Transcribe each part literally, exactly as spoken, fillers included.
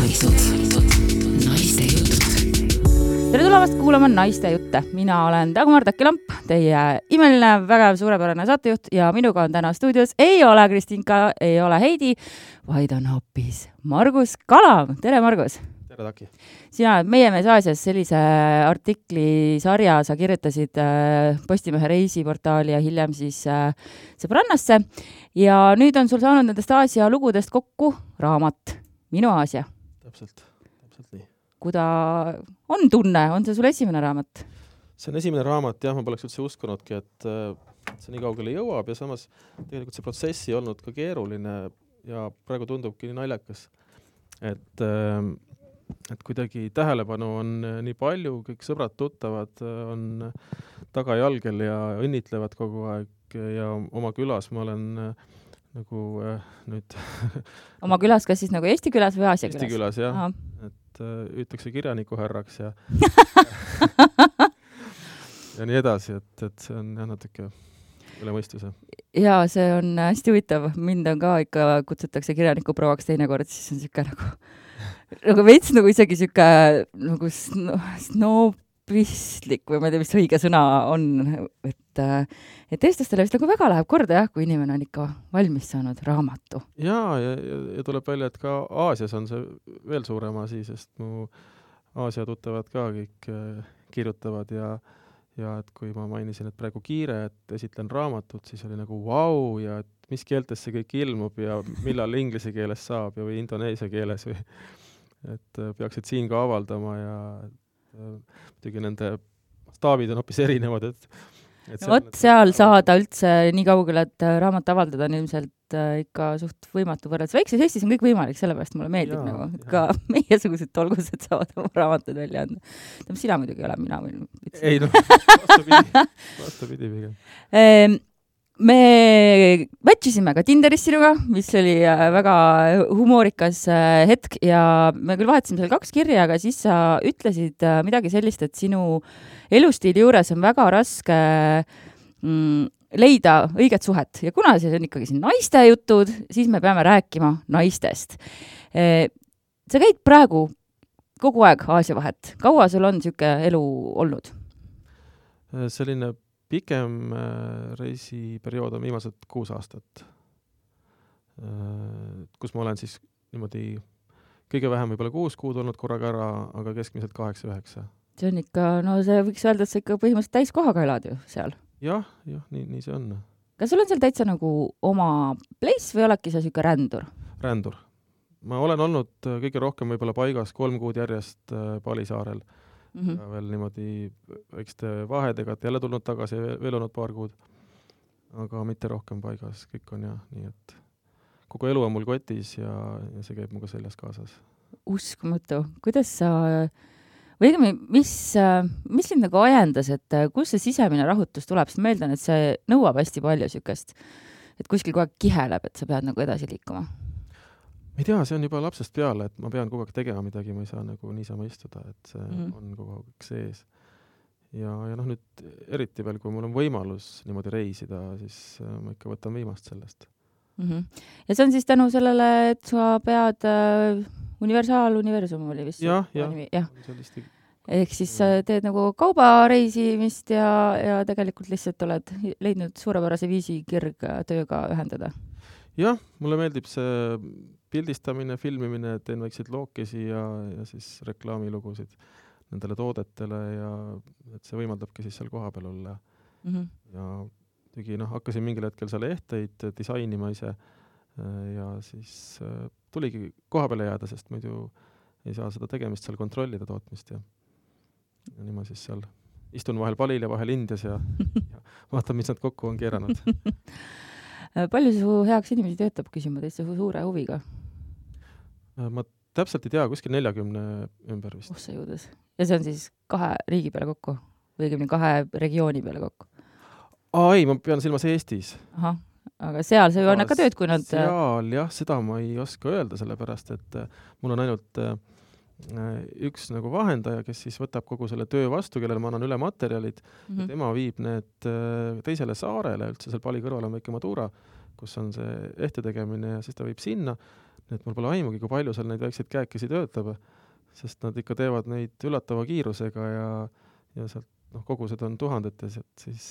naised, naiste jutud. Tere tulemast kuulama Naiste jutte. Mina olen Dagmar Takilamp, teie imeline, väga suurepärane saatejuht ja minuga on täna stuudios ei ole Kristinka, ei ole Heidi, vaid on hoopis Margus Kalam. Tere, Margus! Tere, Taki! Sina meie mees Aasias sellise artiklisarja sa kirjutasid Postimehe reisiportaali ja hiljem siis Sõbrannasse. Ja nüüd on sul saanud nendest Aasia lugudest kokku raamat Minu Aasia. Täpselt, täpselt nii. Kuda on tunne? On see sul esimene raamat? See on esimene raamat, jah, ma poleks üldse uskunudki, et see nii kaugele jõuab ja samas tegelikult see protsess ei olnud ka keeruline ja praegu tundubki nii naljakas, et, et kuidagi tähelepanu on nii palju, kõik sõbrad, tuttavad on tagajalgel ja õnnitlevad kogu aeg ja oma külas ma olen nagu äh, nüüd... Oma külas, kas siis nagu Eesti külas või Aasia külas? Eesti külas, jah. Aha. Et äh, ütakse kirjaniku härraks ja ja nii edasi, et, et see on jah natuke üle mõistuse. Jaa, see on hästi huvitav. Mind on ka ikka kutsutakse kirjaniku prouaks teinekord, siis on siuke nagu nagu veits nagu isegi siuke nagu snobistlik või ma ei tea, mis õige sõna on, et et eestlastele vist nagu väga läheb korda, jah, kui inimene on ikka valmis saanud raamatu. Jaa, ja, ja, ja tuleb välja, et ka Aasias on see veel suurem asi, sest mu Aasia tuttavad ka kõik kirjutavad ja, ja et kui ma mainisin, et praegu kiire, et esitlen raamatut, siis oli nagu vau wow, ja et mis keeltes see kõik ilmub ja millal inglise keeles saab ja või indoneesia keeles või et peaksid siin ka avaldama ja muidugi nende staabid on hoopis erinevad, et No vot, seal saada üldse nii kaugele, et raamat avaldada on ilmselt ikka suht võimatu võrreldes. Väikses Eestis on kõik võimalik, sellepärast mulle meeldib, ja, nagu, et ka meiesugused tolgused saavad oma raamatud välja anda. Sina muidugi ei ole, mina võin. Ei, no, vastupidi, vastupidi pigem. Me matchisime ka Tinderis sinuga, mis oli väga humoorikas hetk ja me küll vahetasime seal kaks kirja, aga siis sa ütlesid midagi sellist, et sinu elustiili juures on väga raske mm, leida õiget suhet. Ja kuna see on ikkagi siin naiste jutud, siis me peame rääkima naistest. Sa käid praegu kogu aeg Aasia vahet. Kaua sul on siuke elu olnud? Selline pikem reisiperiood on viimased kuus aastat, kus ma olen siis niimoodi kõige vähem võib-olla kuus kuud olnud korraga ära, aga keskmiselt kaheksa üheksa. See on ikka, no see võiks öelda, et sa ikka põhimõtteliselt täiskohaga elad ju seal. Jah, jah, nii, nii see on. Kas sul on seal täitsa nagu oma place või oledki sa siuke rändur? Rändur. Ma olen olnud kõige rohkem võib-olla paigas kolm kuud järjest Palisaarel. Mm-hmm. Ja veel niimoodi väikeste vahedega, et jälle tulnud tagasi ja veel olnud paar kuud. Aga mitte rohkem paigas. Kõik on jah, nii et kogu elu on mul kotis ja, ja see käib muga seljas kaasas. Uskumatu. Kuidas sa... Või mis, mis sind nagu ajendas, et kus see sisemine rahutus tuleb? Sest meeldan, et see nõuab hästi palju sükest, et kuskil kogu aeg kiheleb, et sa pead nagu edasi liikuma. Ma ei tea, see on juba lapsest peale, et ma pean kogu aeg tegema midagi, ma ei saa nagu niisama istuda, et see mm. on kogu aeg sees. Ja, ja noh, nüüd eriti veel, kui mul on võimalus niimoodi reisida, siis ma ikka võtan viimast sellest. Mm-hmm. Ja see on siis tänu sellele, et sa pead... Universaaluniversum oli vist. Jah, jah. jah. Ehk siis sa teed nagu kaubareisimist ja, ja tegelikult lihtsalt oled leidnud suurepärase viisi kirgtööga ühendada. Jah, mulle meeldib see pildistamine, filmimine, teen väikseid lookesi ja, ja siis reklaamilugusid nendele toodetele ja et see võimaldabki siis seal koha peal olla. Mm-hmm. Ja tegi, noh, hakkasin mingil hetkel seal ehteid disainima ise ja siis tuligi koha peale jääda, sest muidu ei saa seda tegemist seal kontrollida tootmist ja, ja nii ma siis seal istun vahel Palil ja vahel Indias ja, ja vaatan, mis nad kokku on keeranud. Palju su heaks inimesi töötab, küsima teisse suure huviga? Ma täpselt ei tea, kuskil neljakümne ümber vist. Oh, see jõudes. Ja see on siis kahe riigi peale kokku? Või kahe regiooni peale kokku? Aa, ei, ma pean silmas Eestis. Ahah. Aga seal see on ka tööd, kui nad... Seal, jah, seda ma ei oska öelda, sellepärast, et mul on ainult üks nagu vahendaja, kes siis võtab kogu selle töö vastu, kellele ma annan üle materjalid mm-hmm. ja tema viib need teisele saarele, üldse seal Pali kõrval on väike Madura, kus on see ehte tegemine ja siis ta viib sinna nii et mul pole aimugi, kui palju seal neid väikseid käekesi töötab, sest nad ikka teevad neid üllatava kiirusega ja, ja sealt noh, kogused on tuhandetes, et siis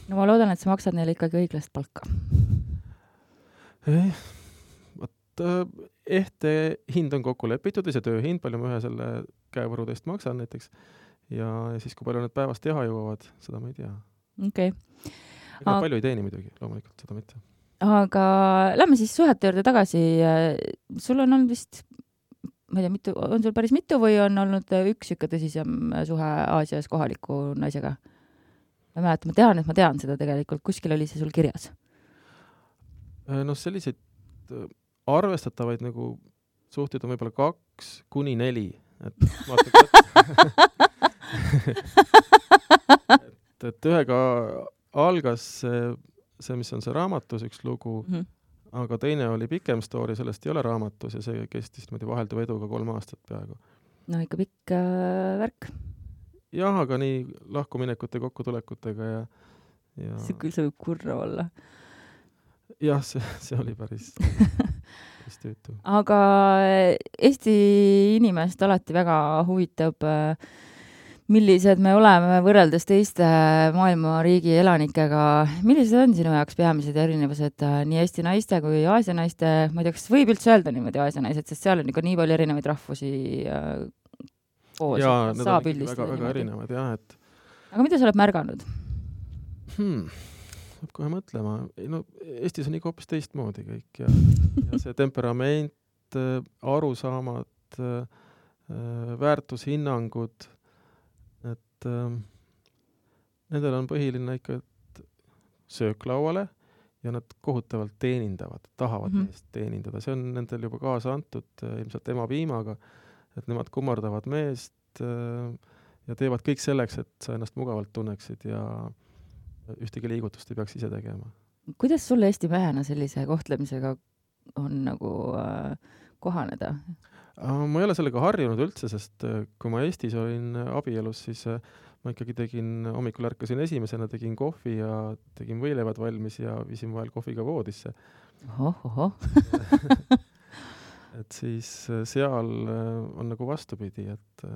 no ma loodan, et sa maksad neile ikkagi õiglast palka. Eh, võt, ehte hind on kokku lepitud ja see tööhind, palju ma ühe selle käevõru teist maksan näiteks ja, ja siis, kui palju need päevast teha jõuavad, seda ma ei tea. Okei. Ega palju ei teeni muidugi, loomulikult, seda mitte. Aga lähme siis suhete juurde tagasi. Sul on olnud vist, ma ei tea, mitu, on sul päris mitu või on olnud üks ikka tõsisem suhe Aasias kohaliku naisega? Ma mäletan, ma tean, et ma tean seda tegelikult. Kuskil oli see sul kirjas? No selliseid arvestatavaid nagu suhteid on võib-olla kaks kuni neli. Et, et, et ühega algas see, see, mis on see raamatus, üks lugu, mm-hmm. aga teine oli pikem story, sellest ei ole raamatus ja see kestis vahelduva eduga kolm aastat peaaegu. No ikka pikk äh, värk. Jah, aga nii lahkuminekute kokkutulekutega ja, ja... see küll see võib kurra olla. Jah, see, see oli päris, päris tüütu. Aga Eesti inimest alati väga huvitab, millised me oleme võrreldes teiste maailma riigi elanikega. Millised on sinu jaoks peamised erinevused nii Eesti naiste kui Aasia naiste? Ma ei tea, kas võib üldse öelda niimoodi Aasia naised, sest seal on ikka nii palju erinevaid rahvusi koos. Jaa, need on väga, väga erinevad, jah. Et... Aga mida sa oled märganud? Hmm. Peab kohe mõtlema. No, Eestis on ikka hoopis teistmoodi kõik ja, ja see temperament, arusaamad, väärtushinnangud, et äh, nendel on põhiline ikka sööklauale ja nad kohutavalt teenindavad, tahavad mm-hmm. meest teenindada. See on nendel juba kaasa antud ilmselt ema piimaga, et nemad kummardavad meest äh, ja teevad kõik selleks, et sa ennast mugavalt tunneksid ja ühtegi liigutust ei peaks ise tegema. Kuidas sulle Eesti mehena sellise kohtlemisega on nagu äh, kohaneda? Ma ei ole sellega harjunud üldse, sest kui ma Eestis olin abielus, siis ma ikkagi tegin, hommikul ärkasin esimesena, tegin kohvi ja tegin võileivad valmis ja viisin vahel kohviga voodisse. Oho, oho. et siis seal on nagu vastupidi, et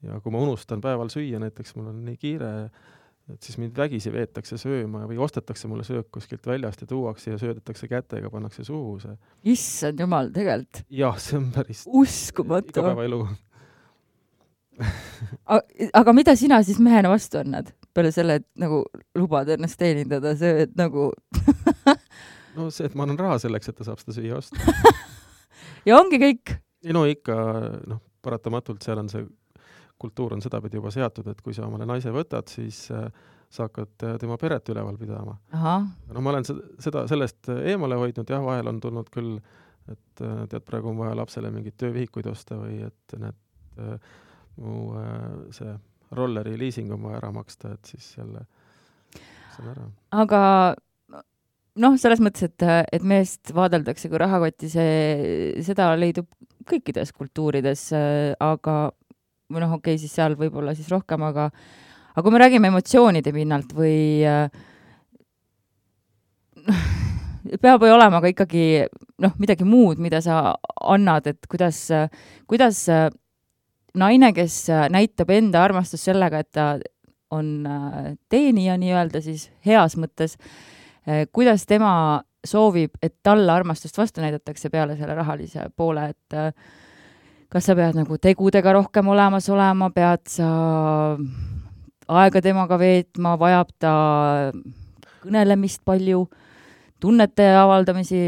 ja kui ma unustan päeval süüa, näiteks mul on nii kiire, et siis mind vägisi veetakse sööma või ostetakse mulle söök kuskilt väljast ja tuuakse ja söödetakse kätega, pannakse suhu see. Issand jumal, tegelikult. Jah, see on päris uskumatu. Igapäeva elu. Aga mida sina siis mehena vastu annad? Peale selle, et nagu lubad ennast teenindada, see, et nagu... no see, et ma annan raha selleks, et ta saab seda süüa osta. ja ongi kõik? No ikka, noh, paratamatult seal on see kultuur on sedapidi juba seatud, et kui sa omale naise võtad, siis äh, sa hakkad tema peret üleval pidama. Aha. No ma olen seda, sellest eemale hoidnud, jah, vahel on tulnud küll, et tead, praegu on vaja lapsele mingid töövihikuid osta või et need äh, mu äh, see rolleri leasing on vaja ära maksta, et siis jälle see on ära. Aga noh, selles mõttes, et, et meest vaadeldakse kui rahakoti, see, seda leidub kõikides kultuurides, aga või noh, okei, siis seal võib-olla siis rohkem, aga, aga kui me räägime emotsioonide pinnalt või noh, peab või olema ka ikkagi noh, midagi muud, mida sa annad, et kuidas, kuidas naine, kes näitab enda armastust sellega, et ta on teenija nii-öelda siis heas mõttes, kuidas tema soovib, et talle armastust vastu näidatakse peale selle rahalise poole, et kas sa pead nagu tegudega rohkem olemas olema, pead sa aega temaga veetma, vajab ta kõnelemist palju, tunnete avaldamisi?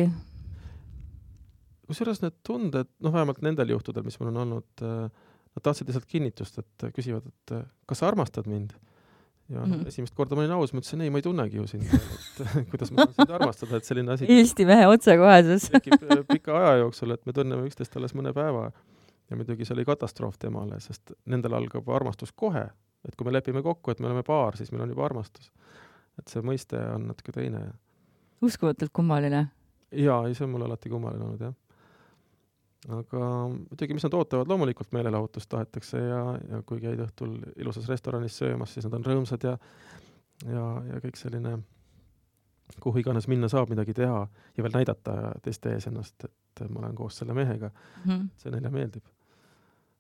Kusjuures need tunded, noh vähemalt nendel juhtudel, mis mul on olnud, nad tahtsid lihtsalt kinnitust, et küsivad, et kas sa armastad mind? Ja mm-hmm. esimest korda ma olin aus, ma ütlesin, ei, ma ei tunnegi ju sind, et kuidas ma saan sind armastada, et selline asi... Eesti mehe otsekohesus. tekib pika aja jooksul, et me tunneme üksteist alles mõne päeva. Ja muidugi see oli katastroof temale, sest nendel algab armastus kohe. Et kui me lepime kokku, et me oleme paar, siis meil on juba armastus. Et see mõiste on natuke teine. Uskumatult kummaline. Jaa, ei, see on mul alati kummaline olnud, jah. Aga muidugi, mis nad ootavad, loomulikult meelelahutust tahetakse ja, ja kui käid õhtul ilusas restoranis söömas, siis nad on rõõmsad ja, ja, ja kõik selline kuhu iganes minna saab midagi teha ja veel näidata teiste ees ennast, et ma olen koos selle mehega. Mm -hmm. See neile meeldib.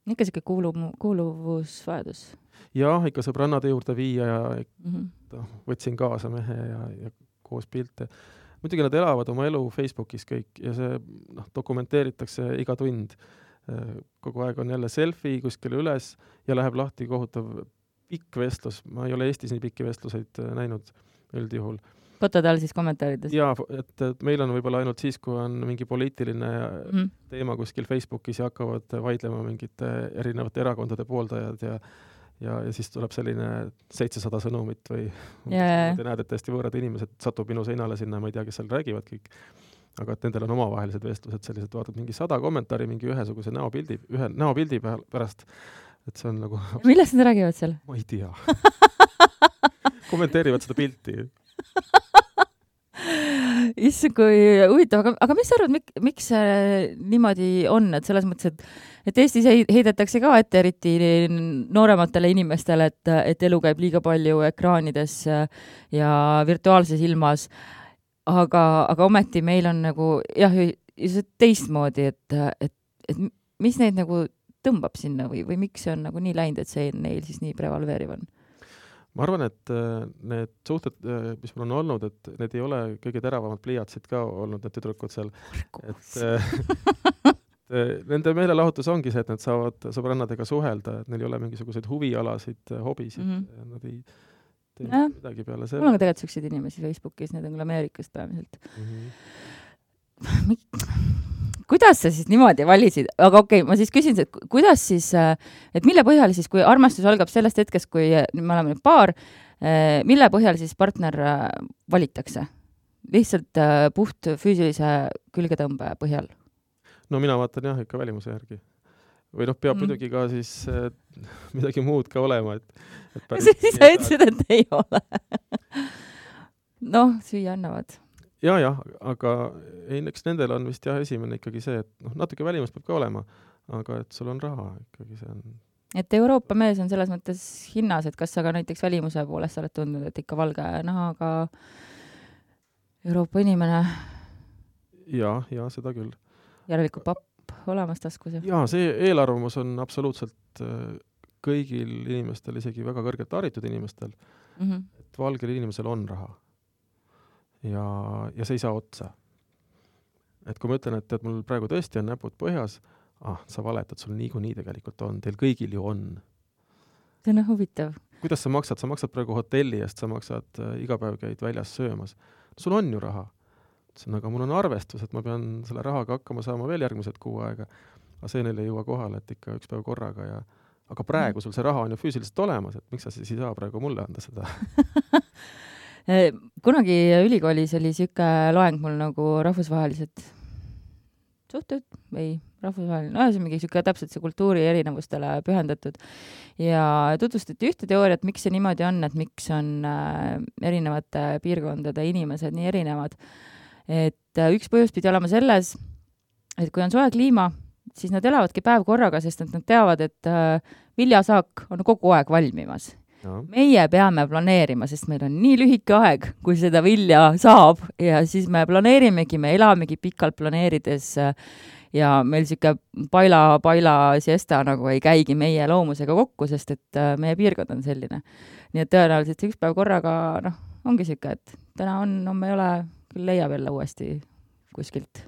Ikka siuke kuulu- kuuluvusvajadus. Jah, ikka sõbrannade juurde viia ja mm -hmm. no, võtsin kaasa mehe ja, ja koos pilte. Muidugi nad elavad oma elu Facebookis kõik ja see noh, dokumenteeritakse iga tund. Kogu aeg on jälle selfie kuskile üles ja läheb lahti kohutav pikk vestlus. Ma ei ole Eestis nii pikki vestluseid näinud üldjuhul. Fotod all siis kommentaarides? Jaa, et, et meil on võib-olla ainult siis, kui on mingi poliitiline mm. teema kuskil Facebookis ja hakkavad vaidlema mingite erinevate erakondade pooldajad ja, ja, ja siis tuleb selline seitsesada sõnumit või yeah. te näed, et täiesti võõrad inimesed satub minu seinale sinna, ma ei tea, kes seal räägivad kõik. Aga et nendel on omavahelised vestlused, sellised vaatad mingi sada kommentaari mingi ühesuguse näopildi, ühe näopildi pärast, et see on nagu... Millest nad räägivad seal? Ma ei tea. Kommenteerivad seda pilti. Issand, kui huvitav, aga, aga mis sa arvad, mik, miks see niimoodi on, et selles mõttes, et, et Eestis heidetakse ka ette eriti noorematele inimestele, et, et elu käib liiga palju ekraanides ja virtuaalses ilmas, aga, aga ometi meil on nagu jah, teistmoodi, et, et, et mis neid nagu tõmbab sinna või, või miks see on nagu nii läinud, et see neil siis nii prevalveeriv on? Ma arvan, et need suhted, mis mul on olnud, et need ei ole kõige teravamad pliiatsid ka olnud, need tüdrukud seal. Et, nende meelelahutus ongi see, et nad saavad sõbrannadega suhelda, et neil ei ole mingisuguseid huvialasid, hobisid. Mm -hmm. Nad ei tee ja. midagi peale selle. Mul on ka tegelikult selliseid inimesi Facebookis, need on küll Ameerikast päeviselt. Mm -hmm. Kuidas sa siis niimoodi valisid? Aga okei, okay, ma siis küsin, et kuidas siis, et mille põhjal siis, kui armastus algab sellest hetkest, kui me oleme nüüd paar, mille põhjal siis partner valitakse? Lihtsalt puht füüsilise külgetõmbe põhjal? No mina vaatan jah, ikka välimuse järgi. Või noh, peab mm. muidugi ka siis äh, midagi muud ka olema. Et, et siis sa ütlesid, et ei ole. noh, süüa annavad. Ja, jah, aga eks nendel on vist jah esimene ikkagi see, et noh, natuke välimust peab ka olema, aga et sul on raha ikkagi see on. Et Euroopa mees on selles mõttes hinnas, et kas sa ka näiteks välimuse poolest oled tundnud, et ikka valge nahaga Euroopa inimene? Ja, ja seda küll. Järelikult papp olemas taskus. Ja see eelarvamus on absoluutselt kõigil inimestel, isegi väga kõrgelt haritud inimestel, mm -hmm. et valgel inimesel on raha. Ja, ja see ei saa otsa. Et kui ma ütlen, et, et mul praegu tõesti on näpud põhjas, ah, sa valetad, sul niikuinii tegelikult on, teil kõigil ju on. See on huvitav. Kuidas sa maksad? Sa maksad praegu hotelli eest, sa maksad äh, iga päev käid väljas söömas. Sul on ju raha. Aga mul on arvestus, et ma pean selle rahaga hakkama saama veel järgmised kuu aega. Aga see neil ei jõua kohale, et ikka üks päev korraga. Ja... Aga praegu sul see raha on ju füüsiliselt olemas, et miks sa siis ei saa praegu mulle anda seda? Kunagi ülikoolis oli siuke loeng mul nagu rahvusvahelised suhted või rahvusvaheline, no see on mingi siuke täpselt see kultuuri erinevustele pühendatud ja tutvustati ühte teooriat, miks see niimoodi on, et miks on erinevate piirkondade inimesed nii erinevad. Et üks põhjus pidi olema selles, et kui on soe kliima, siis nad elavadki päev korraga, sest nad teavad, et viljasaak on kogu aeg valmimas. No. Meie peame planeerima, sest meil on nii lühike aeg, kui seda vilja saab ja siis me planeerimegi, me elamegi pikalt planeerides ja meil siuke paila, paila siesta nagu ei käigi meie loomusega kokku, sest et meie piirkond on selline. Nii et tõenäoliselt üks päev korraga, noh, ongi siuke, et täna on, on me ei ole küll leiab jälle uuesti kuskilt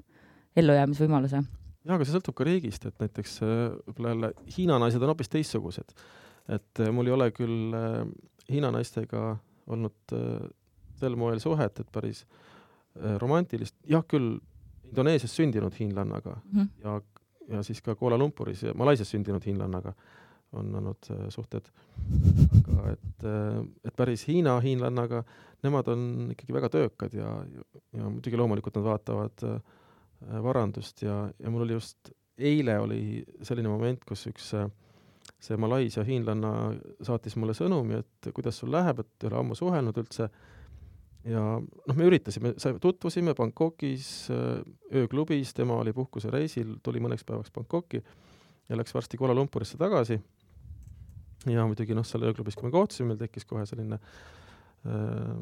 ellujäämisvõimaluse. Ja, aga see sõltub ka riigist, et näiteks jälle Hiina naised on hoopis teistsugused. Et mul ei ole küll Hiina naistega olnud sel moel suhet, et päris romantilist. Jah, küll Indoneesias sündinud hiinlannaga mm -hmm. ja, ja siis ka Kuala Lumpuris ja Malaisias sündinud hiinlannaga on olnud suhted. Aga et, et päris Hiina hiinlannaga, nemad on ikkagi väga töökad ja, ja muidugi loomulikult nad vaatavad varandust ja, ja mul oli just eile oli selline moment, kus üks see Malaisia hiinlanna saatis mulle sõnumi, et kuidas sul läheb, et ei ole ammu suhelnud üldse. Ja noh, me üritasime, tutvusime Bangkokis ööklubis, tema oli puhkuse reisil, tuli mõneks päevaks Bangkoki ja läks varsti Kuala Lumpurisse tagasi. Ja muidugi noh, seal ööklubis, kui me kohtusime, meil tekkis kohe selline äh,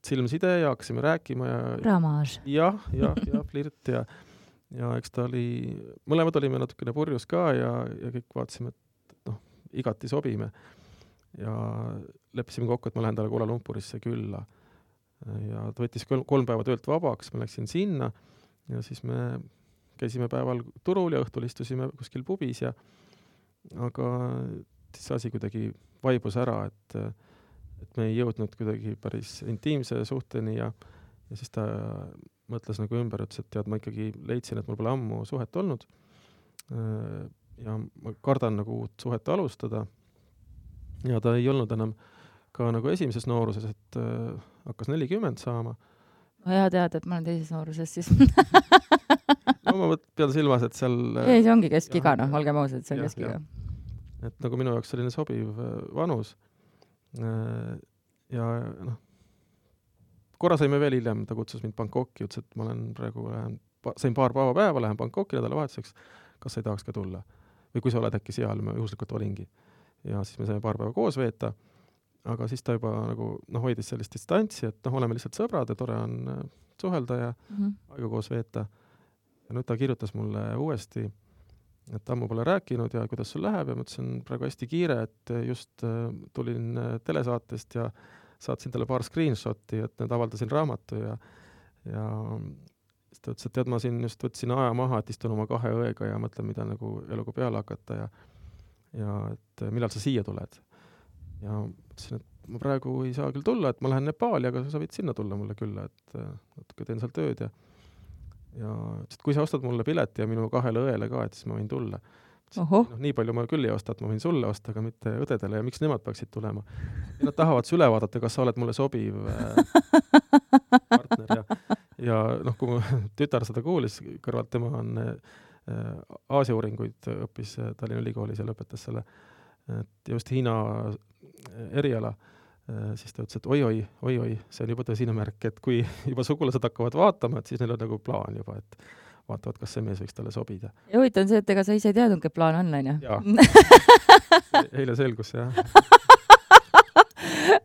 silmside ja hakkasime rääkima ja Ramage. jah, jah, jah, flirt ja ja eks ta oli, mõlemad olime natukene purjus ka ja, ja kõik vaatasime, et noh, igati sobime. Ja leppisime kokku, et ma lähen talle Kuala Lumpurisse külla. Ja ta võttis kolm, kolm päeva töölt vabaks, ma läksin sinna ja siis me käisime päeval turul ja õhtul istusime kuskil pubis ja aga siis asi kuidagi vaibus ära, et, et me ei jõudnud kuidagi päris intiimse suhteni ja, ja siis ta mõtles nagu ümber, ütles, et tead, ma ikkagi leidsin, et mul pole ammu suhet olnud ja ma kardan nagu uut suhet alustada ja ta ei olnud enam ka nagu esimeses nooruses, et äh, hakkas nelikümmend saama. No hea teada, et ma olen teises nooruses siis. No ma pean silmas, et seal... Ei, see ongi keskiga, noh, olgem ausad, see on keskiga. Et nagu minu jaoks selline sobiv vanus ja noh, korra saime veel hiljem, ta kutsus mind Bangkoki, ütles, et ma olen praegu, lähen, sain paar päeva päeva, lähen Bangkoki nädalavahetuseks, kas sa ei tahaks ka tulla? Või kui sa oled äkki seal, ma juhuslikult olingi. Ja siis me saime paar päeva koos veeta, aga siis ta juba nagu, noh, hoidis sellist distantsi, et noh, oleme lihtsalt sõbrad ja tore on suhelda ja mm -hmm. aega koos veeta. Ja nüüd ta kirjutas mulle uuesti, et ammu pole rääkinud ja kuidas sul läheb ja ma ütlesin praegu hästi kiire, et just tulin telesaatest ja saatsin talle paar screenshoti, et need avaldasin raamatu ja, ja siis ta ütles, et tead, ma siin just võtsin aja maha, et istun oma kahe õega ja mõtlen, mida nagu eluga peale hakata ja, ja et millal sa siia tuled. Ja ütlesin, et ma praegu ei saa küll tulla, et ma lähen Nepaali, aga sa võid sinna tulla mulle külla, et natuke teen seal tööd ja, ja ütles, et kui sa ostad mulle pileti ja minu kahele õele ka, et siis ma võin tulla. No, nii palju ma küll ei osta, et ma võin sulle osta, aga mitte õdedele ja miks nemad peaksid tulema. Ja nad tahavad see üle vaadata, kas sa oled mulle sobiv partner ja, ja noh, kui mu tütar seda kuulis, kõrvalt tema on Aasia uuringuid õppis Tallinna Ülikoolis ja lõpetas selle, et just Hiina eriala, siis ta ütles, et oi-oi, oi-oi, see on juba tõsine märk, et kui juba sugulased hakkavad vaatama, et siis neil on nagu plaan juba, et vaatavad, kas see mees võiks talle sobida. Ja huvitav on see, et ega sa ise teadnud, et plaan on, on ju? Jaa. Eile selgus, jah.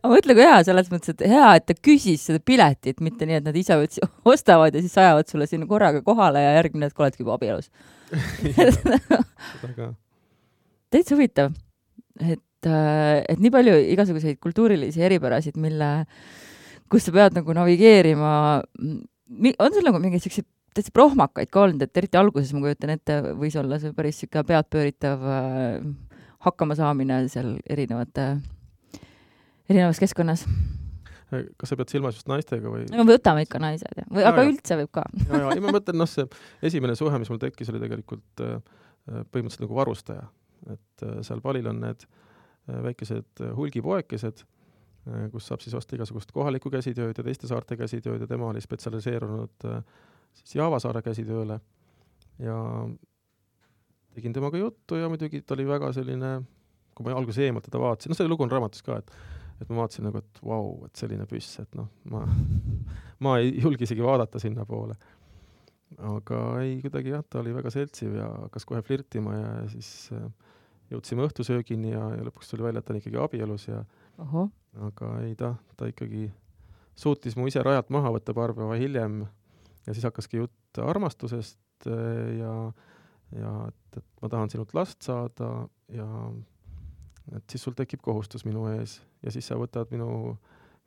Ma mõtlen kui hea, selles mõttes, et hea, et ta küsis seda piletit, mitte nii, et nad ise ostavad ja siis ajavad sulle sinna korraga kohale ja järgmine, et oledki juba abielus. Täitsa huvitav, et, et nii palju igasuguseid kultuurilisi eripärasid, mille, kus sa pead nagu navigeerima. On sul nagu mingi sellised täitsa prohmakaid ka olnud, et eriti alguses ma kujutan ette, võis olla see päris siuke pead pööritav hakkama saamine seal erinevate erinevas keskkonnas. Kas sa pead silmas just naistega või? No võtame ikka naised, ja. Või, aga ja, üldse võib ka. Ja, ja, ja ma mõtlen, noh, see esimene suhe, mis mul tekkis, oli tegelikult põhimõtteliselt nagu varustaja. Et seal palil on need väikesed hulgipoekesed, kus saab siis osta igasugust kohalikku käsitööd ja teiste saarte käsitööd ja tema oli spetsialiseerunud siis Javasaare käsitööle ja tegin temaga juttu ja muidugi ta oli väga selline, kui ma alguses eemalt teda vaatasin, no see lugu on raamatus ka, et, et ma vaatasin nagu, et vau, wow, et selline püss, et noh, ma, ma ei julgi isegi vaadata sinna poole. Aga ei, kuidagi jah, ta oli väga seltsiv ja hakkas kohe flirtima ja siis jõudsime õhtusöögini ja, ja lõpuks tuli välja, et ta on ikkagi abielus ja Oho. Aga ei ta, ta ikkagi suutis mu ise rajalt maha võtta paar päeva hiljem ja siis hakkaski jutt armastusest ja, ja et, et ma tahan sinult last saada ja et siis sul tekib kohustus minu ees ja siis sa võtad minu,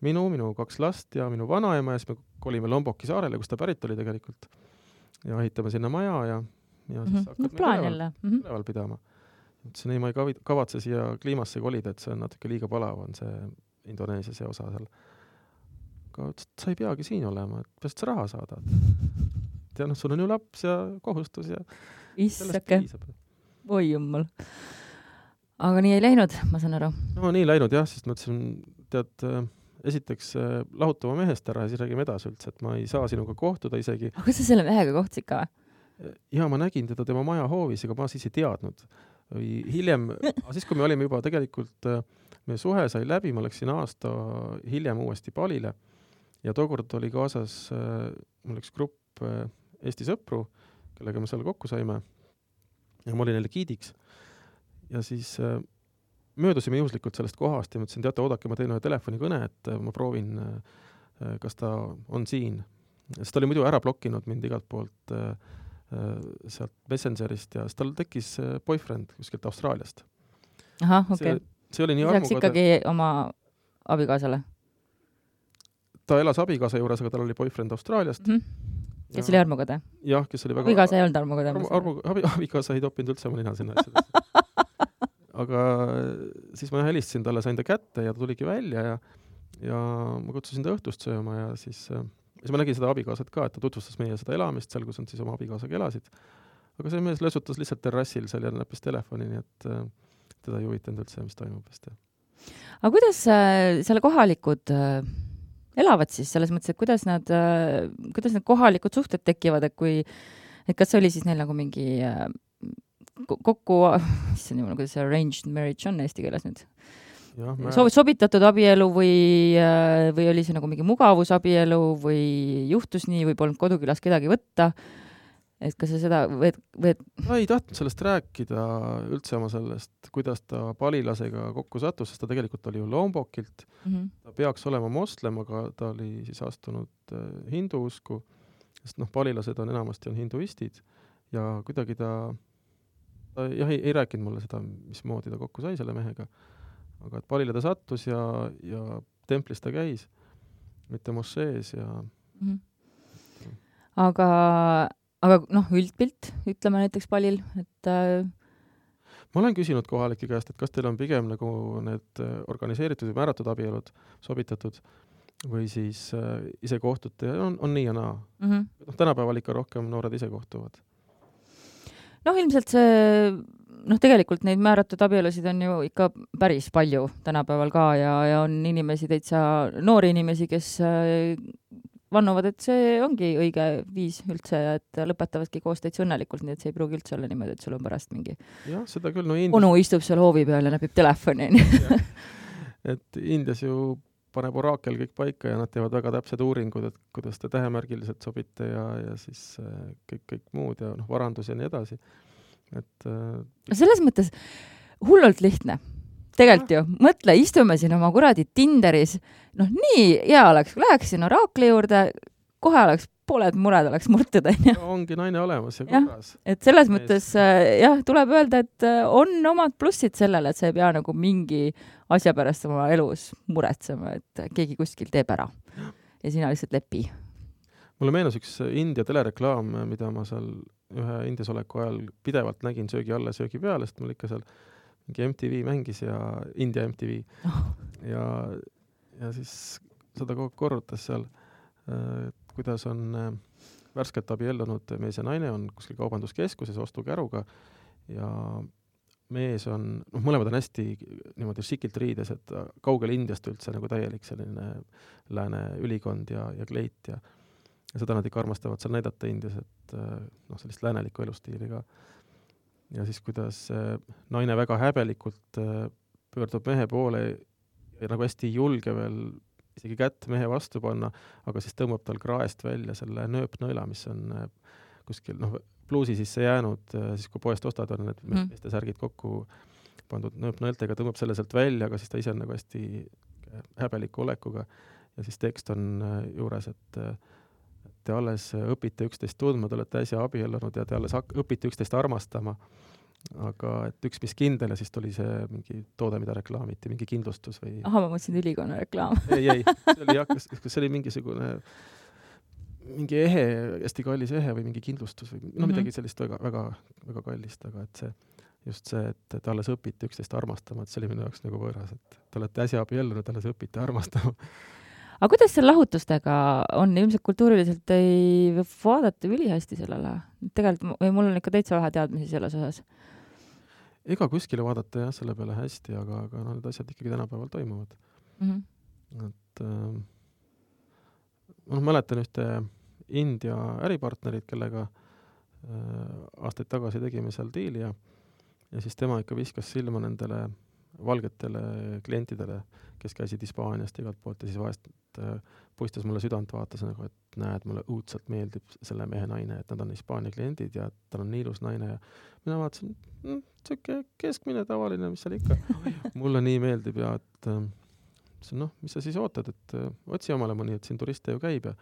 minu, minu kaks last ja minu vanaema ja siis me kolime Lomboki saarele, kus ta pärit oli tegelikult ja ehitame sinna maja ja, ja siis mm-hmm. hakkad no, me üleval, üleval pidama. Ütlesin, ei, ma ei kavatse siia kliimasse kolida, et see on natuke liiga palav, on see Indoneesia see osa seal. Aga ütles, et sa ei peagi siin olema, et peast sa raha saadad. Ja noh, sul on ju laps ja kohustus ja Issake. Oi jummal. Aga nii ei läinud, ma saan aru. No nii läinud jah, sest ma ütlesin, tead, esiteks lahutama mehest ära ja siis räägime edasi üldse, et ma ei saa sinuga kohtuda isegi. Aga kas sa selle mehega kohtusid ka? Ja ma nägin teda tema maja hoovis, aga ma siis ei teadnud. Või hiljem, siis kui me olime juba tegelikult, meie suhe sai läbi, ma läksin aasta hiljem uuesti palile ja tookord oli kaasas mul üks grupp Eesti sõpru, kellega me seal kokku saime ja ma olin neile giidiks ja siis möödusime juhuslikult sellest kohast ja ma ütlesin, teate, oodake, ma teen ühe telefonikõne, et ma proovin kas ta on siin. Sest ta oli muidu ära blokkinud mind igalt poolt äh, sealt Messengerist ja tal tekkis boyfriend kuskilt Austraaliast. Ahah, okei. Okay. See, see oli nii armuga. Lisaks ikkagi ta... oma abikaasale? Ta elas abikaasa juures, aga tal oli boyfriend Austraaliast. Mm-hmm. Kes ja... oli armukade? Jah, kes oli väga... Abikaasa ei olnud armukade. Armu, armu, abi, abikaasa ei toppinud üldse oma nina sinna asjadesse. Aga siis ma helistasin talle, sain ta kätte ja ta tuligi välja ja, ja ma kutsusin ta õhtust sööma ja siis, siis ma nägin seda abikaasat ka, et ta tutvustas meie seda elamist seal, kus on siis oma abikaasaga elasid. Aga see mees lösutas lihtsalt terrassil seal ja näppis telefoni, nii et teda ei huvitanud üldse, mis toimub. Aga kuidas äh, selle kohalikud äh, elavad siis selles mõttes, et kuidas nad, äh, kuidas need kohalikud suhted tekivad, et kui, et kas oli siis neil nagu mingi äh, kokku, mis on niimoodi, kuidas see arranged marriage on eesti keeles nüüd? Ja, mä... Sob- sobitatud abielu või, või oli see nagu mingi mugavusabielu või juhtus nii või polnud kodukülas kedagi võtta? Et kas sa seda või, või... Ta ei tahtnud sellest rääkida üldse oma sellest, kuidas ta palilasega kokku sattus, sest ta tegelikult oli ju Lombokilt. Mm-hmm. Ta peaks olema moslem, aga ta oli siis astunud hindu usku, sest noh, palilased on enamasti on hinduistid ja kuidagi ta Ta jah, ei, ei rääkinud mulle seda, mismoodi ta kokku sai selle mehega. Aga et palile ta sattus ja, ja templis ta käis, mitte mošees ja... Mm-hmm. Aga, aga noh, üldpilt, ütleme näiteks palil, et... Äh... Ma olen küsinud kohalike käest, et kas teil on pigem nagu need organiseeritud või määratud abielud sobitatud või siis äh, ise kohtute ja on, on nii ja naa. Mm-hmm. No, tänapäeval ikka rohkem noored ise kohtuvad. Noh, ilmselt see, noh, tegelikult neid määratud abielusid on ju ikka päris palju tänapäeval ka ja, ja on inimesi, täitsa noori inimesi, kes vannuvad, et see ongi õige viis üldse ja et lõpetavadki koos täitsa õnnelikult, nii et see ei pruugi üldse olla niimoodi, et sul on pärast mingi jah, seda küll, no Indias... onu istub seal hoovi peal ja näpib telefoni. Et Indias ju paneb oraakel kõik paika ja nad teevad väga täpsed uuringud, et kuidas te tähemärgiliselt sobite ja, ja siis kõik, kõik muud ja noh, varandus ja nii edasi. Et, äh... selles mõttes hullult lihtne. Tegelikult ju, mõtle, istume siin oma kuradi Tinderis, noh nii hea oleks, kui läheksin oraakli juurde, kohe oleks pooled mured oleks murtud. Ongi naine olemas ja korras. Et selles Mees. mõttes jah, tuleb öelda, et on omad plussid sellele, et sa ei pea nagu mingi asja pärast oma elus muretsema, et keegi kuskil teeb ära ja sina lihtsalt lepi. Mulle meenus üks India telereklaam, mida ma seal ühe Indias oleku ajal pidevalt nägin söögi alla söögi peale, sest mul ikka seal mingi M T V mängis ja India M T V oh. ja, ja siis seda kogu korrutas seal, et kuidas on värskelt abiellunud mees ja naine on kuskil kaubanduskeskuses ostukäruga ja mees on, noh, mõlemad on hästi niimoodi šikilt riides, et kaugel Indiast üldse nagu täielik selline lääne ülikond ja, ja kleit ja, ja seda nad ikka armastavad seal näidata Indias, et noh, sellist läänelikku elustiili ka. Ja siis kuidas naine väga häbelikult pöördub mehe poole ja nagu hästi julge veel isegi kätt mehe vastu panna, aga siis tõmbab tal kraest välja selle nööpnõela, mis on kuskil, noh, pluusi sisse jäänud, siis kui poest ostad on need mm. meeste särgid kokku pandud nööpnõeltega, tõmbab selle sealt välja, aga siis ta ise on nagu hästi häbeliku olekuga ja siis tekst on juures, et te alles õpite üksteist tundma, te olete äsja abiellunud ja te alles õpite üksteist armastama, aga et üks mis kindel ja siis tuli see mingi toode, mida reklaamiti, mingi kindlustus või... Aha, ma mõtlesin ülikonna reklaam. ei, ei, see oli, jah, kas, kas see oli mingisugune mingi ehe, hästi kallis ehe või mingi kindlustus või no mm-hmm. midagi sellist väga, väga, väga kallist, aga et see, just see, et te alles õpite üksteist armastama, et see oli minu jaoks nagu võõras, et te olete äsja abiellunud, alles õpite armastama. Aga kuidas seal lahutustega on? Ilmselt kultuuriliselt ei vaadata ülihästi sellele. Tegelikult või mul on ikka täitsa vähe teadmisi selles osas. Ega kuskile vaadata jah, selle peale hästi, aga, aga no, need asjad ikkagi tänapäeval toimuvad. Mm-hmm. Et äh, noh, mäletan ühte India äripartnerid, kellega äh, aastaid tagasi tegime seal diili ja, ja siis tema ikka viskas silma nendele valgetele klientidele, kes käisid Hispaaniast igalt poolt ja siis vahest äh, puistas mulle südant, vaatas nagu, et näed, mulle õudselt meeldib selle mehe naine, et nad on Hispaania kliendid ja tal on nii ilus naine ja mina vaatasin, mm, siuke keskmine tavaline, mis seal ikka. Mulle nii meeldib ja et äh, noh, mis sa siis ootad, et uh, otsi omale mõni, et siin turiste ju käib ja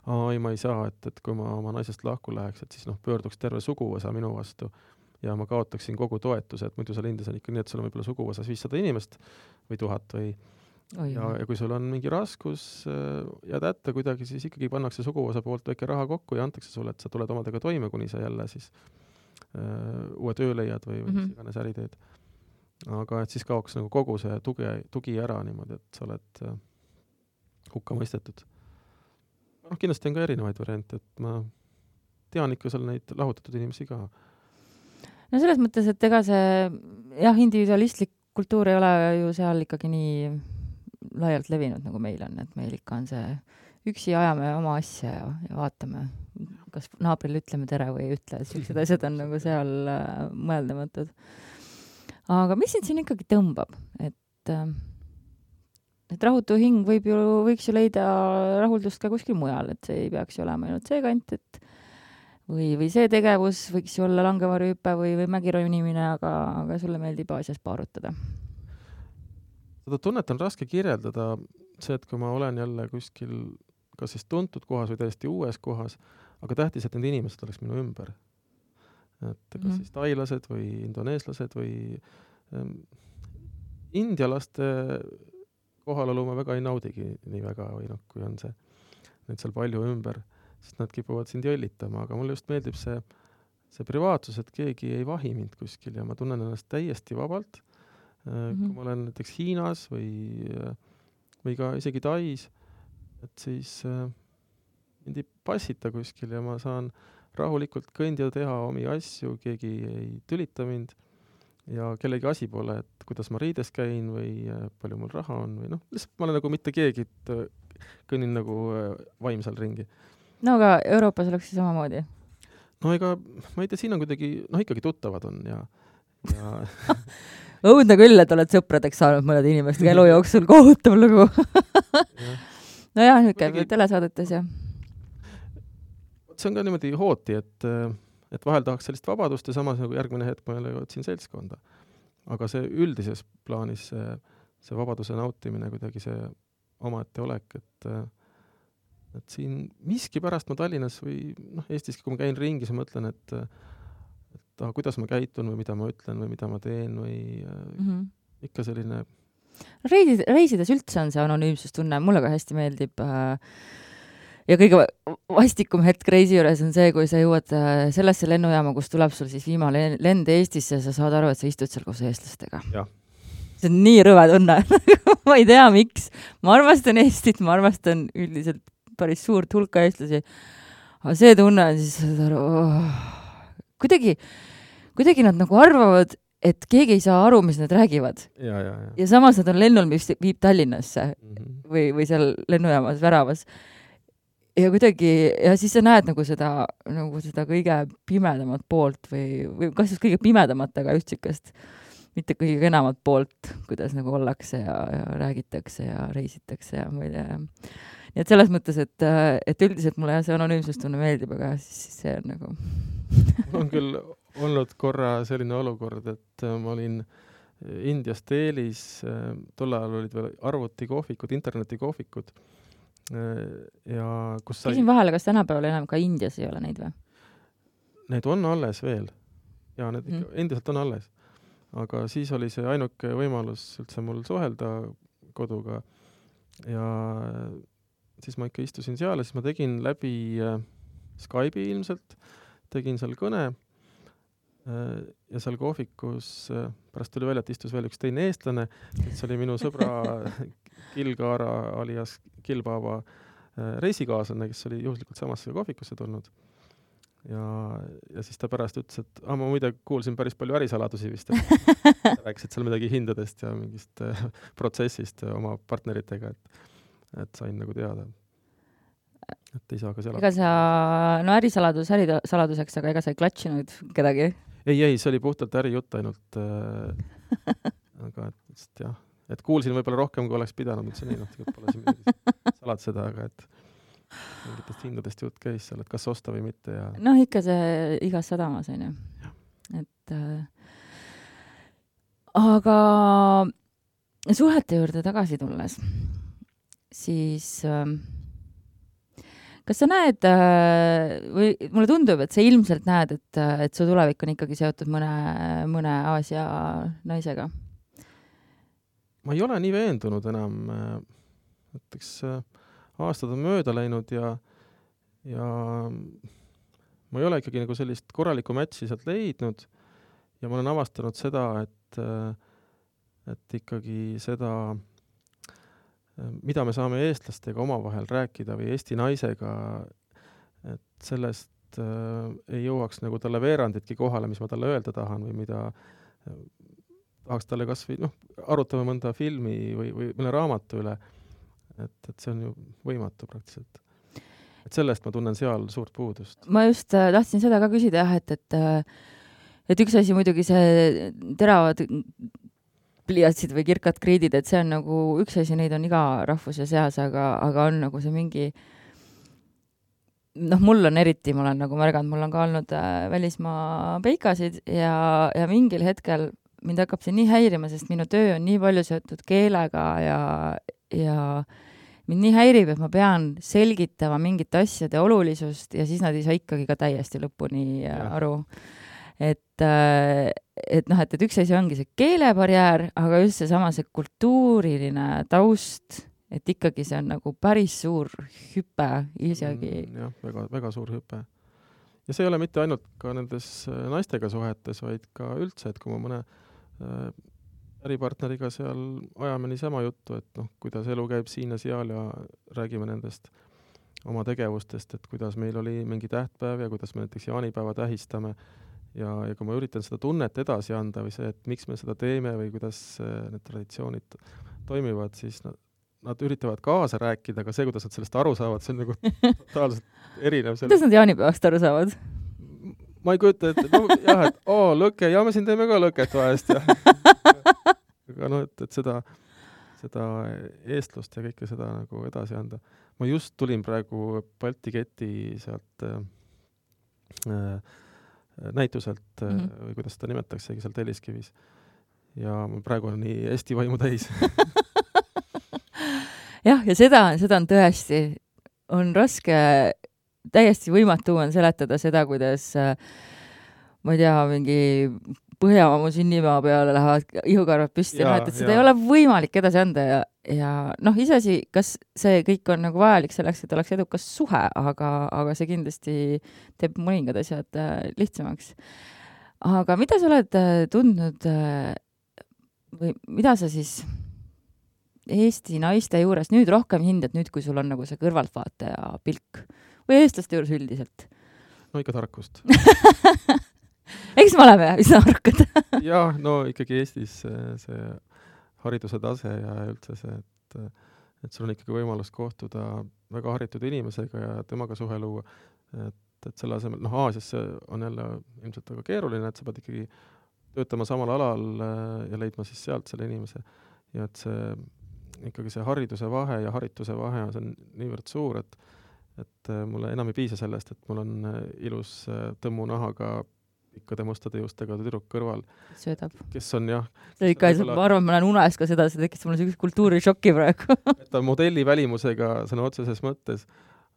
aa, ei, ma ei saa, et, et kui ma oma naisest lahku läheks, et siis noh, pöörduks terve suguvõsa minu vastu ja ma kaotaksin kogu toetuse, et muidu seal Indias on ikka nii, et sul on võib-olla suguvõsas viissada inimest või tuhat või Oi, ja, ja kui sul on mingi raskus äh, jääd hätta kuidagi, siis ikkagi pannakse suguvõsa poolt väike raha kokku ja antakse sulle, et sa tuled omadega toime, kuni sa jälle siis äh, uue töö leiad või, või mm -hmm. mis iganes äri teed. Aga et siis kaoks nagu kogu see tugi, tugi ära niimoodi, et sa oled äh, hukka mõistetud. Noh, kindlasti on ka erinevaid variante, et ma tean ikka seal neid lahutatud inimesi ka. No selles mõttes, et ega see jah, individualistlik kultuur ei ole ju seal ikkagi nii laialt levinud, nagu meil on, et meil ikka on see üksi ajame oma asja ja, ja vaatame, kas naabril ütleme tere või ei ütle, et sellised asjad on nagu seal äh, mõeldamatud. Aga mis sind siin ikkagi tõmbab? Et, äh, et rahutu hing võib ju, võiks ju leida rahuldust ka kuskil mujal, et see ei peaks ju olema ainult see kant, et või, või see tegevus võiks ju olla langevarjuhüpe või, või mägironimine, aga, aga sulle meeldib Aasias paarutada. Seda tunnet on raske kirjeldada, see, et kui ma olen jälle kuskil kas siis tuntud kohas või täiesti uues kohas, aga tähtis, et need inimesed oleks minu ümber. Et kas mm-hmm. siis tailased või indoneeslased või ähm, indialaste kohalolu ma väga ei naudigi nii väga või noh, kui on see neid seal palju ümber, sest nad kipuvad sind jõllitama, aga mulle just meeldib see, see privaatsus, et keegi ei vahi mind kuskil ja ma tunnen ennast täiesti vabalt. Mm-hmm. Kui ma olen näiteks Hiinas või, või ka isegi Tais, et siis äh, mind ei passita kuskil ja ma saan rahulikult kõndida, teha omi asju, keegi ei tülita mind ja kellegi asi pole, et kuidas ma riides käin või äh, palju mul raha on või noh, lihtsalt ma olen nagu mitte keegi, et äh, kõnnin nagu äh, vaimsal ringi. No aga Euroopas oleks see samamoodi? No ega, ma ei tea, siin on kuidagi, noh ikkagi tuttavad on ja, ja õudne küll, et oled sõpradeks saanud mõned inimestega elu jooksul, kohutav lugu. No jah, nüüd käib telesaadetes ja see on ka niimoodi hooti, et, et vahel tahaks sellist vabadust ja samas nagu järgmine hetk ma jälle otsin seltskonda. Aga see üldises plaanis see, see vabaduse nautimine, kuidagi see omaette olek, et, et siin miski pärast ma Tallinnas või noh, Eestiski, kui ma käin ringis ja mõtlen, et, et ah, kuidas ma käitun või mida ma ütlen või mida ma teen või mm-hmm. ikka selline Reisid, reisides üldse on see anonüümsustunne, mulle ka hästi meeldib äh, ja kõige vastikum hetk reisi juures on see, kui sa jõuad äh, sellesse lennujaama, kus tuleb sul siis viimane lend Eestisse ja sa saad aru, et sa istud seal koos eestlastega. Ja. See on nii rõve tunne. Ma ei tea, miks. Ma armastan Eestit, ma armastan üldiselt päris suurt hulka eestlasi. Aga see tunne on siis, saad aru, oh. kuidagi, kuidagi nad nagu arvavad, et keegi ei saa aru, mis nad räägivad. Ja, ja, ja. ja samas nad on lennul, mis viib Tallinnasse mm-hmm. või, või seal lennujaamas väravas. Ja kuidagi, ja siis sa näed nagu seda, nagu seda kõige pimedamat poolt või, või kas just kõige pimedamat, aga just sikast mitte kõige kenamat poolt, kuidas nagu ollakse ja, ja räägitakse ja reisitakse ja ma ei tea. Nii et selles mõttes, et, et üldiselt mulle see anonüümsustunne meeldib, aga siis see on nagu on küll olnud korra selline olukord, et ma olin Indias Delis, tol ajal olid veel arvutikohvikud, internetikohvikud ja kus sai... Küsin vahele, kas tänapäeval enam ka Indias ei ole neid või? Need on alles veel. Ja need ikka mm. endiselt on alles. Aga siis oli see ainuke võimalus üldse mul suhelda koduga ja siis ma ikka istusin seal ja siis ma tegin läbi Skype'i ilmselt, tegin seal kõne ja seal kohvikus pärast tuli välja, et istus veel üks teine eestlane, et see oli minu sõbra Kilgaara alias Kilbaba reisikaaslane, kes oli juhuslikult samasse kohvikusse tulnud. Ja, ja siis ta pärast ütles, et ah, ma muide kuulsin päris palju ärisaladusi vist. Rääkisid seal midagi hindadest ja mingist äh, protsessist oma partneritega, et, et sain nagu teada. Et ei saa ka seal... Ega sa, no ärisaladus ärisaladuseks, aga ega sa ei klatšinud kedagi? Ei, ei, see oli puhtalt ärijutt ainult. Äh, aga et, jah, et kuulsin võib-olla rohkem, kui oleks pidanud, et see nii, noh, tegelikult pole see midagi salad seda, aga et mingitest hindadest jutt käis seal, et kas osta või mitte. Ja... noh, ikka see igas sadamas on ju. Et, äh, aga suhete juurde tagasi tulles, siis äh, kas sa näed äh, või mulle tundub, et sa ilmselt näed, et, et su tulevik on ikkagi seotud mõne, mõne Aasia naisega? Ma ei ole nii veendunud enam. Näiteks aastad on mööda läinud ja, ja ma ei ole ikkagi nagu sellist korralikku matchi sealt leidnud ja ma olen avastanud seda, et, et ikkagi seda mida me saame eestlastega omavahel rääkida või Eesti naisega, et sellest äh, ei jõuaks nagu talle veeranditki kohale, mis ma talle öelda tahan või mida äh, tahaks talle kas või, noh, arutame mõnda filmi või, või mõne raamatu üle, et, et see on ju võimatu praktiliselt. Et sellest ma tunnen seal suurt puudust. Ma just äh, tahtsin seda ka küsida, jah, et, et, et üks asi muidugi see teravad pliiatsid või kirkad kriidid, et see on nagu üks asi, neid on iga rahvuse seas, aga, aga on nagu see mingi noh, mul on eriti, ma olen nagu märganud, mul on ka olnud äh, välismaa peikasid ja, ja mingil hetkel mind hakkab see nii häirima, sest minu töö on nii palju seotud keelega ja, ja mind nii häirib, et ma pean selgitama mingite asjade olulisust ja siis nad ei saa ikkagi ka täiesti lõpuni äh, aru. Et, et noh, et, et üks asi ongi see keelebarjäär, aga just see sama see kultuuriline taust, et ikkagi see on nagu päris suur hüpe isegi. Mm, jah, väga, väga suur hüpe. Ja see ei ole mitte ainult ka nendes naistega suhetes, vaid ka üldse, et kui ma mõne äh, äripartneriga seal ajame niisama juttu, et noh, kuidas elu käib siin ja seal ja räägime nendest oma tegevustest, et kuidas meil oli mingi tähtpäev ja kuidas me näiteks jaanipäeva tähistame. Ja, ja kui ma üritan seda tunnet edasi anda või see, et miks me seda teeme või kuidas need traditsioonid toimivad, siis nad, nad üritavad kaasa rääkida, aga see, kuidas nad sellest aru saavad, see on nagu totaalselt erinev. Kuidas nad jaanipäevast aru saavad? Ma ei kujuta, et no, jah, et oo, lõke, ja me siin teeme ka lõket vahest. Ja. Aga no, et, et seda, seda eestlust ja kõike seda nagu edasi anda. Ma just tulin praegu Balti Keti sealt äh, näituselt mm-hmm. või kuidas seda nimetaksegi seal Telliskivis. Ja praegu on nii Eesti vaimu täis. jah, ja seda, seda on tõesti, on raske, täiesti võimatu on seletada seda, kuidas ma ei tea, mingi Põhjamaa mu sünnimaa peale lähevad ihukarvad püsti, ja, et, et seda ja. Ei ole võimalik edasi anda ja, ja noh, iseasi, kas see kõik on nagu vajalik selleks, et oleks edukas suhe, aga, aga see kindlasti teeb mõningad asjad äh, lihtsamaks. Aga mida sa oled äh, tundnud äh, või mida sa siis Eesti naiste juures nüüd rohkem hindad, nüüd kui sul on nagu see kõrvaltvaataja pilk või eestlaste juures üldiselt? No ikka tarkust. Eks me oleme üsna arukad. jah, no ikkagi Eestis see, see hariduse tase ja üldse see, et, et sul on ikkagi võimalus kohtuda väga haritud inimesega ja temaga suhe luua. Et, et selle asemel, noh, Aasias on jälle ilmselt väga keeruline, et sa pead ikkagi töötama samal alal ja leidma siis sealt selle inimese. Ja et see, ikkagi see hariduse vahe ja harituse vahe on niivõrd suur, et, et mulle enam ei piisa sellest, et mul on ilus tõmmu nahaga ikkade mustade juustega tüdruk kõrval. Söödab. Kes on jah... See ikka, ma arvan, ma olen unes ka seda, see tekkis mulle sellise kultuurishokki praegu. ta on modelli välimusega sõna otseses mõttes,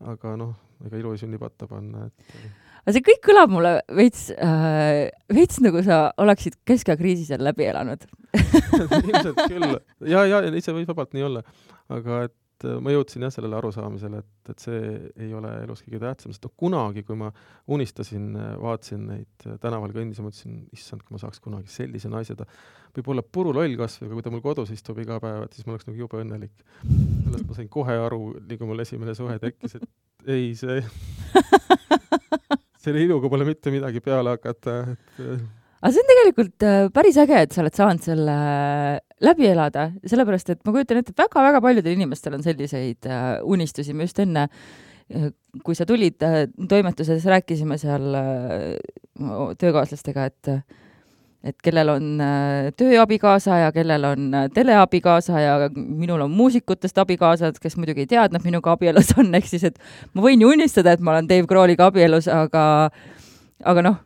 aga noh, ega ilu ei sünni patta panna. Et... aga see kõik kõlab mulle veits, äh, veits nagu sa oleksid keskajakriisi seal läbi elanud. Ilmselt küll. Ja, ja, ja ise võib vabalt nii olla. Aga et ma jõudsin jah sellele arusaamisele, et, et see ei ole elus kõige tähtsam, sest no, kunagi, kui ma unistasin, vaatasin neid tänaval kõndis ja mõtlesin, issand, kui ma saaks kunagi sellise naise, ta võib olla puru loll kasv, aga kui ta mul kodus istub iga päev, et siis ma oleks nagu jube õnnelik. Sellest ma sain kohe aru, nii kui mul esimene suhe tekkis, et ei, see selle iluga pole mitte midagi peale hakata. Et... aga see on tegelikult päris äge, et sa oled saanud selle läbi elada, sellepärast, et ma kujutan ette, et väga-väga paljudel inimestel on selliseid unistusi. Me just enne, kui sa tulid toimetuses, rääkisime seal töökaaslastega, et, et kellel on tööabikaasa ja kellel on teleabikaasa ja minul on muusikutest abikaasad, kes muidugi ei teadnud minuga abielus on, ehk siis, et ma võin ju unistada, et ma olen Dave Grohliga abielus, aga, aga noh,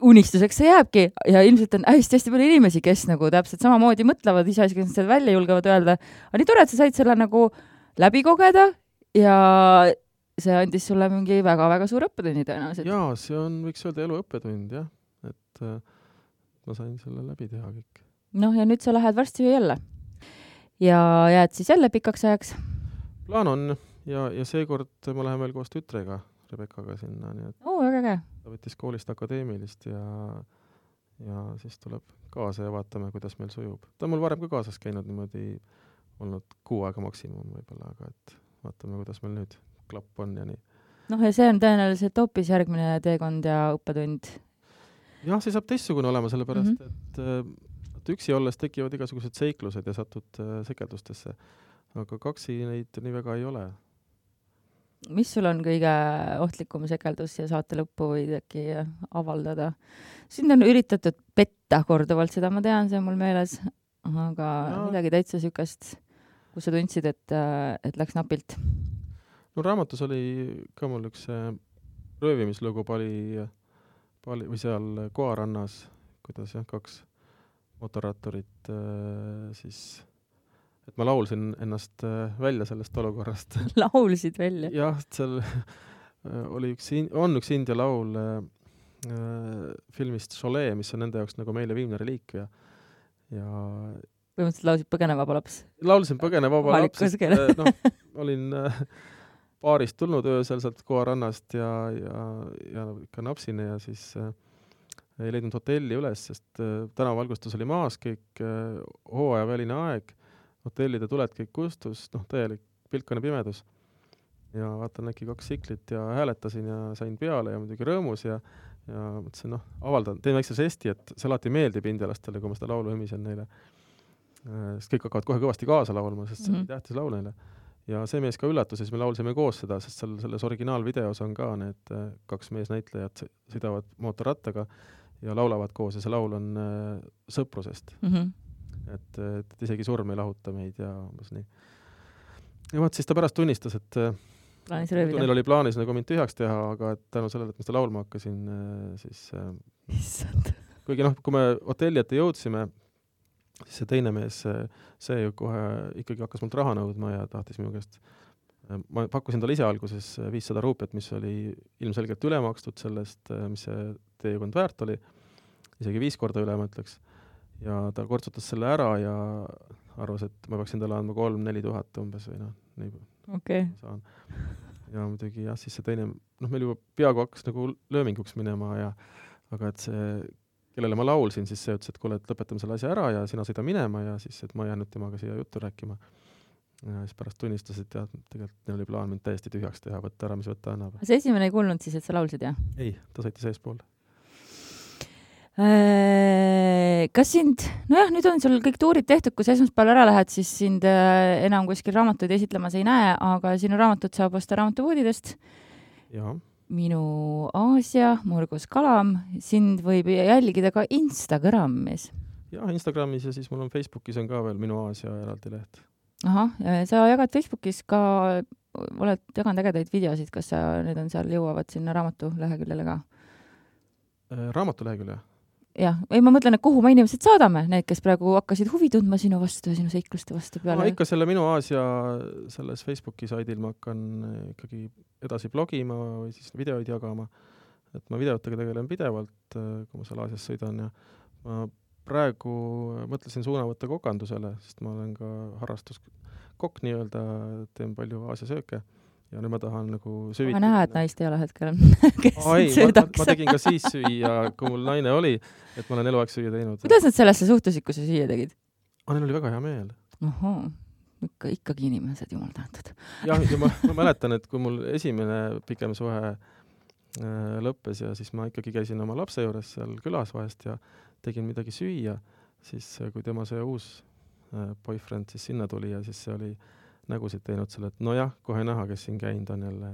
unistuseks see jääbki ja ilmselt on hästi-hästi palju inimesi, kes nagu täpselt samamoodi mõtlevad, ise kes seda välja julgevad öelda. Aga nii tore, et sa said selle nagu läbi kogeda ja see andis sulle mingi väga-väga suur õppetunni tõenäoliselt. Jaa, see on, võiks öelda, elu õppetund, jah. Et äh, ma sain selle läbi teha kõik. Noh, ja nüüd sa lähed varsti jälle. Ja jääd siis jälle pikaks ajaks? Plaan on ja, ja seekord ma lähen veel koos tütrega, Rebekaga sinna. Nii et Oo, väga käe. Ta võttis koolist akadeemilist ja, ja siis tuleb kaasa ja vaatame, kuidas meil sujub. Ta on mul varem ka kaasas käinud niimoodi, olnud kuu aega maksimum võib-olla, aga et vaatame, kuidas meil nüüd klapp on ja nii. Noh, ja see on tõenäoliselt hoopis järgmine teekond ja õppetund. Jah, see saab teistsugune olema, sellepärast, mm-hmm. et, et üksi olles tekivad igasugused seiklused ja satud sekeldustesse. Aga kaksi neid nii väga ei ole. Mis sul on kõige ohtlikum sekeldus ja saate lõppu võid äkki avaldada? Sind on üritatud petta korduvalt, seda ma tean, see on mul meeles, aga ja. Midagi täitsa sükast, kus sa tundsid, et, et läks napilt. No raamatus oli ka mul üks röövimislugu pali, pali, või seal Koarannas, kuidas jah, kaks motorratturit siis et ma laulsin ennast välja sellest olukorrast. Laulsid välja? Jah, seal oli üks, on üks India laul äh, filmist Cholet, mis on nende jaoks nagu meile viimne reliik ja, ja põhimõtteliselt laulsid Põgenevaba laps? Laulsin Põgenevaba laps, sest no, olin äh, paarist tulnud öösel sealt Koarannast ja, ja, ja ikka napsine ja siis äh, ei leidnud hotelli üles, sest äh, tänavalgustus oli maas, kõik äh, hooajaväline aeg, hotellide tuled kõik kustus, noh, täielik pilkane pimedus. Ja vaatan äkki kaks siklit ja hääletasin ja sain peale ja muidugi rõõmus ja, ja mõtlesin, noh, avaldan, teen väikse žesti, et see alati meeldib indialastele, kui ma seda laulu hümisen neile. Sest kõik hakkavad kohe kõvasti kaasa laulma, sest see mm-hmm. oli tähtis laul neile. Ja see mees ka üllatus, siis me laulsime koos seda, sest seal, selles originaalvideos on ka need kaks meesnäitlejat sõidavad mootorrattaga ja laulavad koos ja see laul on äh, sõprusest. Mm-hmm. Et, et isegi surm ei lahuta meid ja umbes nii. Ja vaat siis ta pärast tunnistas, et neil oli plaanis nagu mind tühjaks teha, aga et tänu sellele, et ma seda laulma hakkasin, siis Issand. Kuigi noh, kui me hotelli ette jõudsime, siis see teine mees, see ju kohe ikkagi hakkas mult raha nõudma ja tahtis minu käest. Ma pakkusin talle ise alguses viissada ruupiat, mis oli ilmselgelt üle makstud sellest, mis see teekond väärt oli. Isegi viis korda üle, ma ütleks. Ja ta kortsutas selle ära ja arvas, et ma peaksin talle andma kolm, neli tuhat umbes või noh, nii okay. saan. Ja muidugi jah, siis see teine, noh, meil juba peaaegu hakkas nagu lööminguks minema ja, aga et see, kellele ma laulsin, siis see ütles, et kuule, et lõpetame selle asja ära ja sina sõida minema ja siis, et ma jäänud temaga siia juttu rääkima. Ja siis pärast tunnistas, et jah, tegelikult neil oli plaan mind täiesti tühjaks teha, võtta ära, mis võtta annab. See esimene ei kuulnud siis, et sa laulsid, jah? Ei, ta sõitis eespool. Kas sind, nojah, nüüd on sul kõik tuurid tehtud, kui sa esmaspäeval ära lähed, siis sind enam kuskil raamatuid esitlemas ei näe, aga sinu raamatut saab osta raamatupoodidest. Ja. Minu Aasia, Murgus Kalam, sind võib jälgida ka Instagramis. Ja, Instagramis ja siis mul on Facebookis on ka veel Minu Aasia eraldi leht. Ahah, sa jagad Facebookis ka, oled jaganud ägedaid videosid, kas sa, need on seal jõuavad sinna raamatu leheküljele ka? Raamatu lehekülje? Jah, ei ma mõtlen, et kuhu me inimesed saadame, need, kes praegu hakkasid huvi tundma sinu vastu ja sinu seikluste vastu peale. No, ikka selle Minu Aasia selles Facebooki saidil ma hakkan ikkagi edasi blogima või siis videoid jagama. Et ma videotega tegelen pidevalt, kui ma seal Aasias sõidan ja ma praegu mõtlesin suuna võtta kokandusele, sest ma olen ka harrastuskokk nii-öelda, teen palju Aasia sööke. Ja nüüd ma tahan nagu süüvitada. Ma näha, et naist ei ole hetkel, kes Ai, söödaks. Ma, ma tegin ka siis süüa, kui mul naine oli, et ma olen eluaeg süüa teinud. Kuidas nad sellesse suhtusid, kui sa süüa tegid? Ah, neil oli väga hea meel. Oho, ikka, ikkagi inimesed, jumal tänatud. Ja, ja ma, ma mäletan, et kui mul esimene pikem suhe äh, lõppes ja siis ma ikkagi käisin oma lapse juures seal külas vahest ja tegin midagi süüa, siis kui tema see uus äh, boyfriend siis sinna tuli ja siis see oli nägusid teinud selle, et no jah, kohe näha, kes siin käinud on jälle.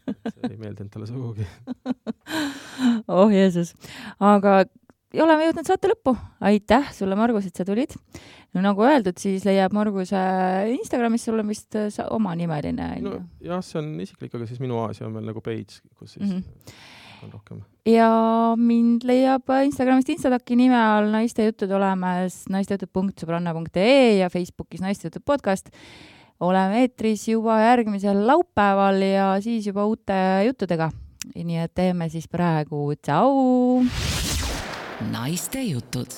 Et see ei meeldinud talle sugugi. Oh Jeesus. Aga oleme jõudnud saate lõppu. Aitäh sulle, Margus, et sa tulid. No nagu öeldud, siis leiab Marguse Instagramis sulle vist oma nimeline. No, jah, see on isiklik, aga siis Minu Aasia on veel nagu page, kus siis... Mm-hmm. vastan rohkem. Ja mind leiab Instagramist Instadaki nime all naiste jutud olemas naistejutud punkt sõbranna punkt ee ja Facebookis naistejutud podcast. Oleme eetris juba järgmisel laupäeval ja siis juba uute juttudega. Nii et teeme siis praegu tšau! Naiste jutud.